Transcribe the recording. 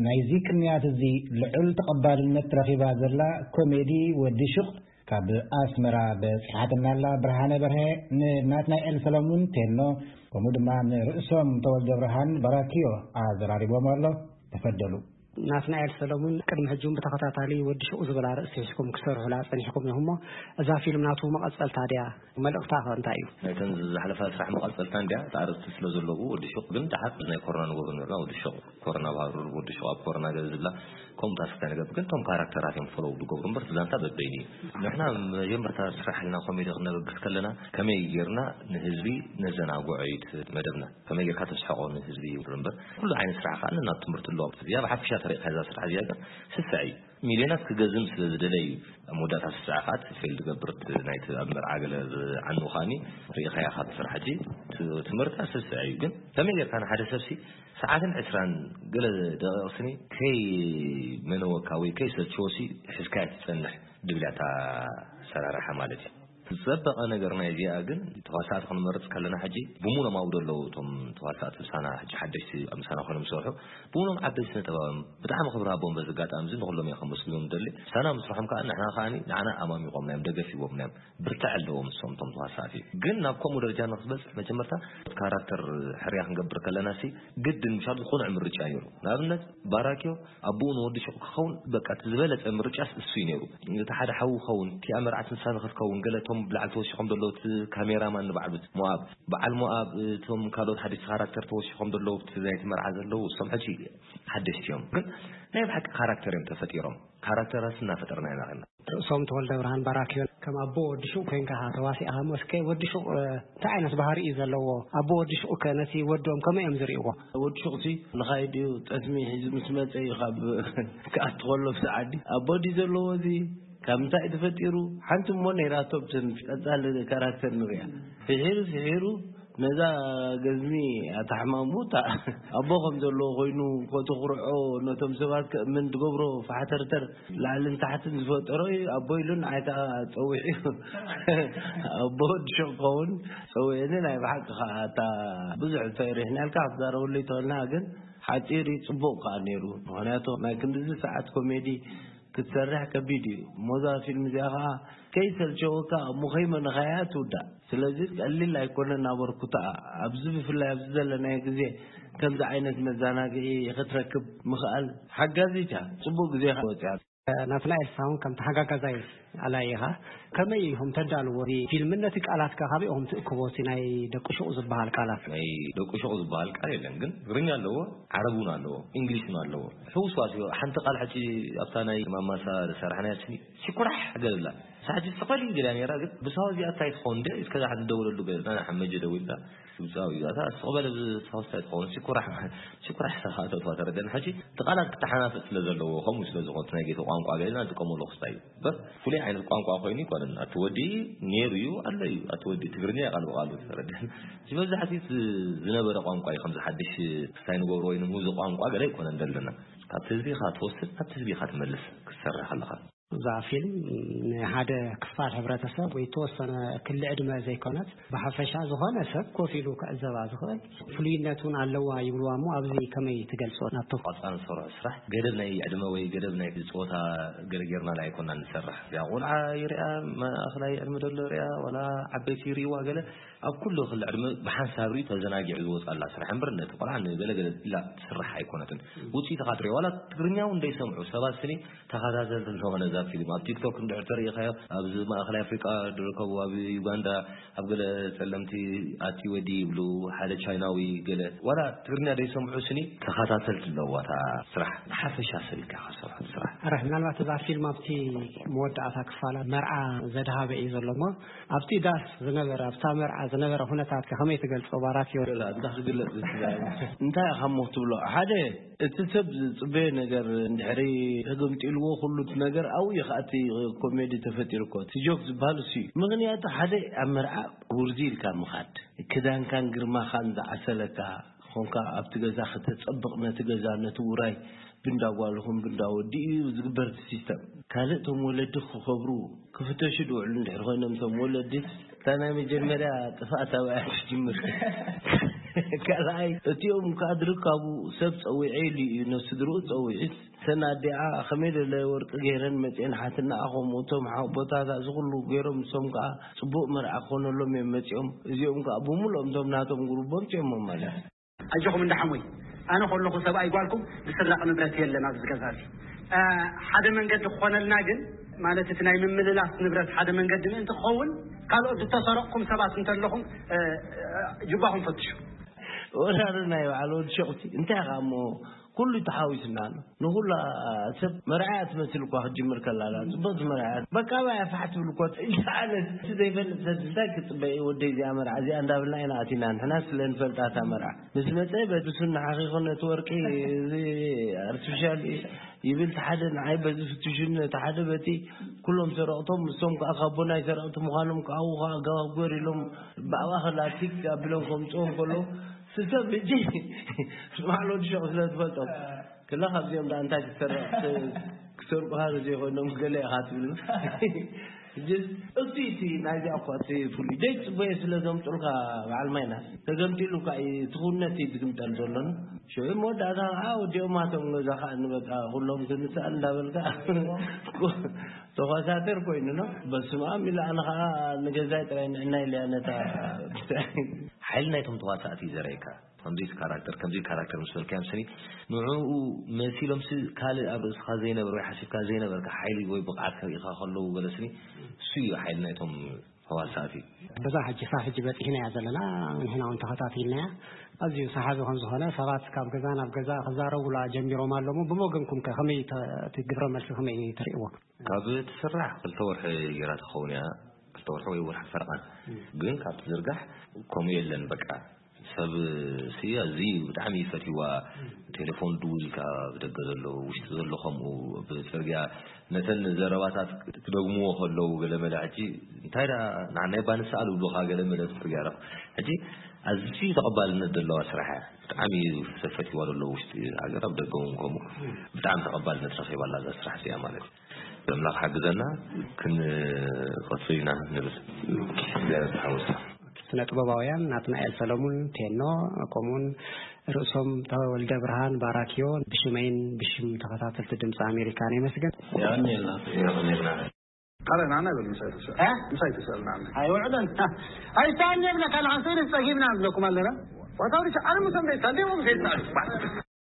ናይዚ ቅንያት እዚ ልዑል ተቐባልነት ረኺባ ዘላ ኮሜዲ ወዲ ሹቕ ካብ ኣስመራ በጺሓትና ኣላ። ብርሃነ በርሀ ንናትናኤል ሰለሙን ቴኖ፣ ከምኡ ድማ ንርእሶም ተወልደ ብርሃን በራኪዮ ኣዘራሪቦም ኣሎ። ተፈደሉ። ናትናኤል ሰለሙን፣ ቅድሚ ሕጂ እውን ብተኸታታሊ ወዲ ሹቕ ዝብል ኣርእስቲ ሒዝኩም ክትሰርሑላ ጸኒሕኩም ኢኹም እሞ፣ እዛ ፊልም ናቱ መቐጸልታ ድያ? መልእኽታ ከ እንታይ እዩ? ናይተን ዝሓለፋ ስራሕ መቐጸልታ እንድያ። እቲ ኣርእስቲ ስለ ዘለዎ ወዲ ሹቕ፣ ግን ደሓር ናይ ኮሮና ንገብሮ ነበርና። ወዲ ሹቕ ኮሮና ኣብ ሃሩር፣ ወዲ ሹቕ ኣብ ኮሮና ገለ ዝብላ፣ ከምኡ ታስክ እንታይ ንገብር፣ ግን እቶም ካራክተራት እዮም ፎሎው ዝገብሩ እምበር፣ እቲ ዛንታ በበይኑ እዩ። ንሕና መጀመርታ ስራሕ ኢልና ኮሜዲ ክነበግስ ከለና፣ ከመይ ጌርና ንህዝቢ ነዘናግዖ እዩ እቲ መደብና። ከመይ ጌርካ ተስሕቖ ንህዝቢ ይብሉ እምበር፣ ኩሉ ዓይነት ስራሕ ከኣ ናብ ትምህርቲ ኣለዎ። እዚኣ ብሓፈሻ ተሪእካ እዛ ስራሕ እዚኣ ግን ስስዕ እዩ። ሚልዮናት ክገዝም ስለ ዝደለ እዩ። ኣብ መወዳእታ ስስዕ ከኣ እቲ ፌል ዝገብር እቲ ናይቲ ኣብ መርዓ ገለ ዝዓኑ ከኣኒ ርኢኻያ ካብ ስራሕ ሕጂ ት-፣ ትምህርታ ስስዕ እዩ። ግን ከመይ ጌርካ ንሓደ ሰብሲ ሰዓትን ዕስራን ገለ ደቂቕ ስኒ ከይ መነወካ ወይ ከይ ሰልችወሲ ሒዝካያ ትጸንሕ ድብልያታ ሰራርሓ ማለት እዩ። ዝጸበቐ ነገር ናይ እዚኣ ግን ተዋሳእቲ ክንመርጽ ከለና ሕጂ ብሙኖም ኣብኡ ዘለዉ እቶም ተዋሳእቲ ምሳና ሕጂ ሓደሽቲ ኣብ ምሳና ኮይኖም ዝሰርሑ ብሙኖም ዓበይቲ ስነ ጥበባውያን ብጣዕሚ ክብሪ ሃቦም በዚ ኣጋጣሚ እዚ ንኹሎም እየ ከመስግኖም ደሊ። ምሳና ምስርሖም ከኣ ንሕና ከኣ ንዓና ኣማሚቖምና እዮም፣ ደገፍ ሂቦምና እዮም። ብርትዕ ኣለዎም እሶም እቶም ተዋሳእቲ። ግን ናብ ከምኡ ደረጃ ንክትበጽሕ መጀመርታ ካራክተር ሕርያ ክንገብር ከለና ሲ ግድን ምሻል ዝኾነ ምርጫ ነይሩ። ንኣብነት ባራኪዮ ኣቦኡ ንወዲ ሹቕ ክኸውን በቃ እቲ ዝበለጸ ምርጫስ እሱ እዩ ነይሩ። እቲ ሓደ ሓው ክኸውን፣ እቲኣ መርዓት ንሳ ንክትከውን፣ ገለ እቶም ብላዕሊ ተወሲኾም ዘለዉ እቲ ካሜራማን ንባዕሉ ሞኣብ፣ በዓል ሞኣብ፣ እቶም ካልኦት ሓደሽቲ ካራክተር ተወሲኾም ዘለዉ እቲ ናይቲ መርዓ ዘለዉ እሶም ሕጂ ሓደሽቲ እዮም። ግን ናይ ብሓቂ ካራክተር እዮም ተፈጢሮም። ካራክተራት እናፈጠርና ኢና ኸና። ርእሶም ተወልደ ብርሃን ባራኪዮ፣ ከም ኣቦ ወዲ ሹቕ ኮይንካ ኢኻ ተዋሲእኻ እሞ፣ እስከ ወዲ ሹቕ፣ እ፣ እንታይ ዓይነት ባህሪ እዩ ዘለዎ? ኣቦ ወዲ ሹቕ ከ ነቲ ወዶም ከመይ እዮም ዝርእይዎ? ወዲ ሹቕ ሲ ንኻይድ እዩ፣ ጠስሚ ሒዙ ምስ መጸ እዩ ካብ ክኣቱ ከሎ ብሰዓዲ። ኣቦ ድዩ ዘለዎ እዚ? ካብ ምንታይ እዩ ተፈጢሩ? ሓንቲ እሞ ነይራቶ፣ ብትን ቀጻሊ ካራክተር ንሪኣ። ስሒሩ፣ ስሒሩ፣ ነዛ ገዝሚ ኣታሕማሙ፣ እታ ኣቦ ከም ዘለዎ ኮይኑ፣ ኮተኩርዖ፣ ነቶም ሰባት ከእምን ዝገብሮ ፋሕተርተር፣ ላዕልን ታሕትን ዝፈጠሮ እዩ ኣቦ ኢሉ ንዓይ ከኣ ጸዊዑ። ኣቦ ወዲ ሹቕ ክኸውን ጸዊዑኒ። ናይ ብሓቂ ከኣ እታ ብዙሕ ተሪሕና ኢልካ ክትዛረበሉ ይትኽእልና፣ ግን ሓጺር እዩ፣ ጽቡቕ ከኣ ነይሩ። ምኽንያቱ ናይ ክንድዚ ሰዓት ኮሜዲ ክትሰርሕ ከቢድ እዩ። እሞ እዛ ፊልም እዚኣ ከኣ ከይሰልቸወካ እሞ ከይመነኻያ ትውዳእ። ስለዚ ቀሊል ኣይኮነን ኣበርክቶኣ። ኣብዚ ብፍላይ ኣብዚ ዘለናዮ ግዜ ከምዚ ዓይነት መዘናግዒ ክትረክብ ምኽኣል ሓጋዚት እያ። ጽቡቕ ግዜ ኢኻ ወጺኣ። ናትናኤል ሳውን ከም ተሓጋጋዛይ ኣላይ ኢኻ። ከመይ ኢኹም ተዳልዎ እዚ ፊልም? ነቲ ቃላት ከ ካበይ ኢኹም ትእክቦ? እቲ ናይ ደቂ ሹቕ ዝበሃል ቃላት። ናይ ደቂ ሹቕ ዝበሃል ቃል የለን፣ ግን ትግርኛ ኣለዎ፣ ዓረብ እውን ኣለዎ፣ እንግሊሽ እውን ኣለዎ። ሕውስዋስ እዩ። ሓንቲ ቃል ሕጂ ኣብታ ናይ ማማሳ ዝሰራሕናያ ስኒ ሲኩራሕ ገለላ። ሳሕጂ ጽቐሊ ገላ ነይራ፣ ግን ብሳዋ እዚኣ እንታይ ትኸውን እንደ እስከ ዛሓት እንደወለሉ ገለና፣ ንሓመጀ ደዊልና ግብጻዊ እዩ። ኣታ ስቕ በለ ብሳዋ እንታይ ትኸውን? ሲኩራሕ፣ ሲኩራሕ ሰኻእተቷ ተረደን። ሕጂ እቲ ቃላት ክተሓናፈጥ ስለ ዘለዎ፣ ከምኡ ስለ ዝኾነ፣ እቲ ናይ ጌቶ ቋንቋ ገለና ንጥቀመሉ ክስታይ እዩ። እምበር ፍሉይ ዓይነት ቋንቋ ኮይኑ ኣይኮነን። ኣቲ ወዲ ነይሩ እዩ፣ ኣሎ እዩ። ኣቲ ወዲ ትግርኛ እዩ ቃል ብቃሉ ተረደን። እዚ መብዛሕትኡ እቲ ዝነበረ ቋንቋ እዩ። ከምዚ ሓድሽ ክስታይ ንገብሮ ወይ ንሙዚ ቋንቋ ገለ ኣይኮነን ዘለና። ካብቲ ህዝቢ ኢኻ ትወስድ፣ ካብቲ ህዝቢ ኢኻ ትመልስ ክትሰርሕ ከለኻ። እዛ ፊልም ንሓደ ክፋል ሕብረተሰብ ወይ ተወሰነ ክሊ ዕድመ ዘይኮነት፣ ብሓፈሻ ዝኾነ ሰብ ኮፍ ኢሉ ክዕዘባ ዝኽእል ፍሉይነት እውን ኣለዋ ይብልዋ እሞ፣ ኣብዚ ከመይ ትገልጾ? ናብቶም ቆጻል ንሰርሖ ስራሕ ገደብ ናይ ዕድመ ወይ ገደብ ናይ ጾታ ገለ ጌርና ኣይኮና ንሰርሕ። እዚኣ ቆልዓ ይርያ፣ ማእኸላይ ዕድመ ዘሎ ይርያ፣ ዋላ ዓበይቲ ይርእይዋ ገለ፣ ኣብ ኩሉ ክሊ ዕድመ ብሓንሳብ ርኢ ተዘናጊዑ ዝወጻላ ስራሕ እምበር፣ ነቲ ቆልዓ ንገለገለ ኢላ ትስራሕ ኣይኮነትን። ውጽኢትኻ ትሪኦ፣ ዋላ ትግርኛ እውን ዘይሰምዑ ሰባት ስኒ ተኸታተልቲ ኣለዎ ነዛ ፊልም። ኣብ ቲክቶክ እንድሕር ተሪኢኻዮ፣ ኣብዚ ማእኸላይ ኣፍሪቃ ዝርከቡ፣ ኣብ ዩጋንዳ፣ ኣብ ገለ ጸለምቲ ኣቲ ወዲ ይብሉ፣ ሓደ ቻይናዊ ገለ፣ ዋላ ትግርኛ ዘይሰምዑ ስኒ ተኸታተልቲ ኣለዋ እታ ስራሕ። ንሓፈሻ ሰብ ኢልካ ኢኻ ትሰርሖ ስራሕ። ኣረ፣ ምናልባት እዛ ፊልም ኣብቲ መወዳእታ ክፋላ መርዓ ዘድሃበ እዩ ዘሎ እሞ፣ ኣብቲ ዳስ ዝነበረ፣ ኣብታ መርዓ ዝነበረ ኩነታት ከ ከመይ ትገልጾ ባራኪዮ? ገለ እንታይ ክግለጽ ዝችላል? እንታይ ኢኻ እሞ ክትብሎ? ሓደ፣ እቲ ሰብ ዝጽበዮ ነገር እንድሕሪ ተገምጢልዎ፣ ኩሉ እቲ ነገር ኣብኡ እዩ ከኣ እቲ ኮሜዲ ተፈጢሩ እኮ። እቲ ጆክ ዝበሃል እሱ እዩ። ምኽንያቱ ሓደ ኣብ መርዓ ውርዚ ኢልካ ምኻድ፣ ክዳንካን ግርማኻን ዝዓሰለካ ኾንካ ኣብቲ ገዛ ከተጸብቕ፣ ነቲ ገዛ፣ ነቲ ውራይ፣ ብንዳ ጓልኹም ብንዳ ወዲ እዩ ዝግበር እቲ ሲስተም። ካልእ እቶም ወለዲ ክኸብሩ ክፍተሹ ድውዕሉ እንድሕር ኮይኖም እቶም ወለዲ፣ እታ ናይ መጀመርያ ጥፍኣት ኣብኣ ትጅምር። ካልኣይ፣ እቲኦም ከኣ ድርካቡ ሰብ ጸዊዐ ኢሉ እዩ፣ ነስድርኡ ጸዊዑስ፣ እተን ኣዲኣ ከመይ ደለ ወርቂ ገይረን መጺኤን ሓትናኣ፣ ከምኡ እቶም ሓቦታት እዚ ኩሉ ገይሮም፣ ንሶም ከኣ ጽቡቕ መርዓ ክኾነሎም እዮም መጺኦም። እዚኦም ከኣ ብምሉኦም እቶም ናቶም ጉሩቦም ጺኦሞም ማለት እዩ። ኣጆኹም እንዳ ሓሙይ፣ ኣነ ከለኹ ሰብኣይ ጓልኩም ዝስረቕ ንብረት የለን ኣብዚ ገዛ እዚ። እ፣ ሓደ መንገዲ ክኾነልና ግን፣ ማለት እቲ ናይ ምምልላስ ንብረት ሓደ መንገዲ ምእንቲ ክኸውን፣ ካልኦት ዝተሰረቕኩም ሰባት እንተለኹም፣ እ፣ እ፣ ጅባኹም ፈትሹ። ወራርና እዩ በዓል ወዲ ሸቑቲ። እንታይ ኢኻ እሞ ኩሉ ተሓዊስና ኣሎ። ንኹላ ሰብ መርዓያ ትመስል እኳ ክትጅምር ከላ ኣላ። ጽቡቕ መርዓያ። በቃ ባያ ፋሕ ትብል እኮ። እንታይ ዓይነት እቲ ዘይፈልጥ ሰብ እንታይ ክጽበ እዩ? ወደይ እዚኣ መርዓ እዚኣ እንዳብልና ኢና ኣቲና። ንሕና ስለ ንፈልጣ እታ መርዓ። ምስ መጸ በድሱን ንሓኺኹ ነቲ ወርቂ እዚ ኣርቲፊሻል ይብል እቲ ሓደ ንዓይ በዚ ፍትሹን እቲ ሓደ በቲ ኩሎም ሰረቕቶም እሶም ከኣ ካብ ቦናይ ሰረቕቲ ምዃኖም ከኣ ኣብኡ ከኣ ኣገባብ ግበር ኢሎም ብኣባ ከላቲክ ኣቢሎም ከምጽኦም ከሎ ስሰብ ሕጂ ስማዕ ሎዲ ሸቕ ስለ ትፈልጦም ክላ ካብዚኦም ዳ እንታይ ክትሰርቕ ክሰርቁኻ ዘይኮይኖም ገለ ኢኻ ትብል። ሕጂ እቲ እቲ ናይዚኣ እኳ እቲ ፍሉይ ዘይጽበዮ ስለ ዘምጡልካ በዓል ማይና ተገምጢሉ እኳ እዩ እቲ ክውነት እዩ ዝግምጠል ዘሎን ሽዑ መወዳእታ ከዓ ወዲኦማቶም ገዛ ከዓ ንበቃ ኩሎም ክንስኣል እንዳበልካ ተኳሳተር ኮይኑ ነው። በስመ ኣብ ኢለ ኣነ ከዓ ንገዛይ ጥራይ ንዕና ኢለያ ነታ ሓይሊ ናይቶም ተዋሳእቲ እዩ ዘርእየካ። ከምዚ ካራክተር ከምዚ ካራክተር ምስ በልካዮም ስኒ ንዕኡ መሲሎም ሲ ካልእ ኣብ ርእስኻ ዘይነበር ወይ ሓሲብካ ዘይነበርካ ሓይሊ ወይ ብቕዓት ከርእኻ ከለዉ ገለ ስኒ እሱ እዩ ሓይሊ ናይቶም ተዋሳእቲ። በዛ ሕጂ ሳብ ሕጂ በፂሕናያ ዘለና ንሕና እውን ተኸታቲልናያ ኣዝዩ ሰሓቢ ከም ዝኾነ ሰባት ካብ ገዛ ናብ ገዛ ክዛረቡላ ጀሚሮም ኣለዉ። ብመገንኩም ከ ከመይ ተ- እቲ ግብረ መልሲ ከመይ ትርእይዎ? ካብ ትስራሕ ክልተ ወርሒ ገይራ ትኸውን እያ። ክልተ ወርሒ ወይ ወርሒ ፈረቓ። ግን ካብ ትዝርጋሕ ከምኡ የለን በቃ። ሰብ ስያ እዚ ብጣዕሚ ይፈትዋ። ቴሌፎን ድውል ኢልካ ብደገ ዘሎ ውሽጢ ዘሎ ከምኡ ብፅርግያ ነተን ዘረባታት ክደግምዎ ከለዉ ገለ መለ ሕጂ እንታይ ዳ ንዓናይ ባንስኣል ብሉኻ ገለ መለ ብፅርግያ ረኽ ሕጂ ኣዝዩ ተቐባልነት ዘለዋ ስራሕ እያ። ብጣዕሚ ሰብ ፈትዋ ዘሎ ውሽጢ ሃገር ኣብ ደገ እውን ከምኡ ብጣዕሚ ተቐባልነት ረኺባ ኣላ እዛ ስራሕ እዚኣ ማለት እዩ። ኣምላኽ ሓግዘና ክንቐጽል ኢና ንብል እግዚኣብሔር ዝሓወሳ። ስነ ጥበባውያን ናትናኤል ሰለሙን ቴኖ ከምኡውን ርእሶም ተወልደ ብርሃን ባራኪዮ ብሽመይን ብሽም ተኸታተልቲ ድምፂ ኣሜሪካ ነመስግን። የቐንየልና። የቐንየልና። ካልእ ንዓና ይበል ምሳይ ተሰ- እ? ምሳይ ተሰል ንዓና። ኣይውዕለን። ኣይሰኣን የብለካ ንዓን ስእሊ ጸጊብና ንብለኩም ኣለና። ዋታውሪ ኣነ ምሰም ደይሳል ደሞ ምሰይ ጻዕዱ።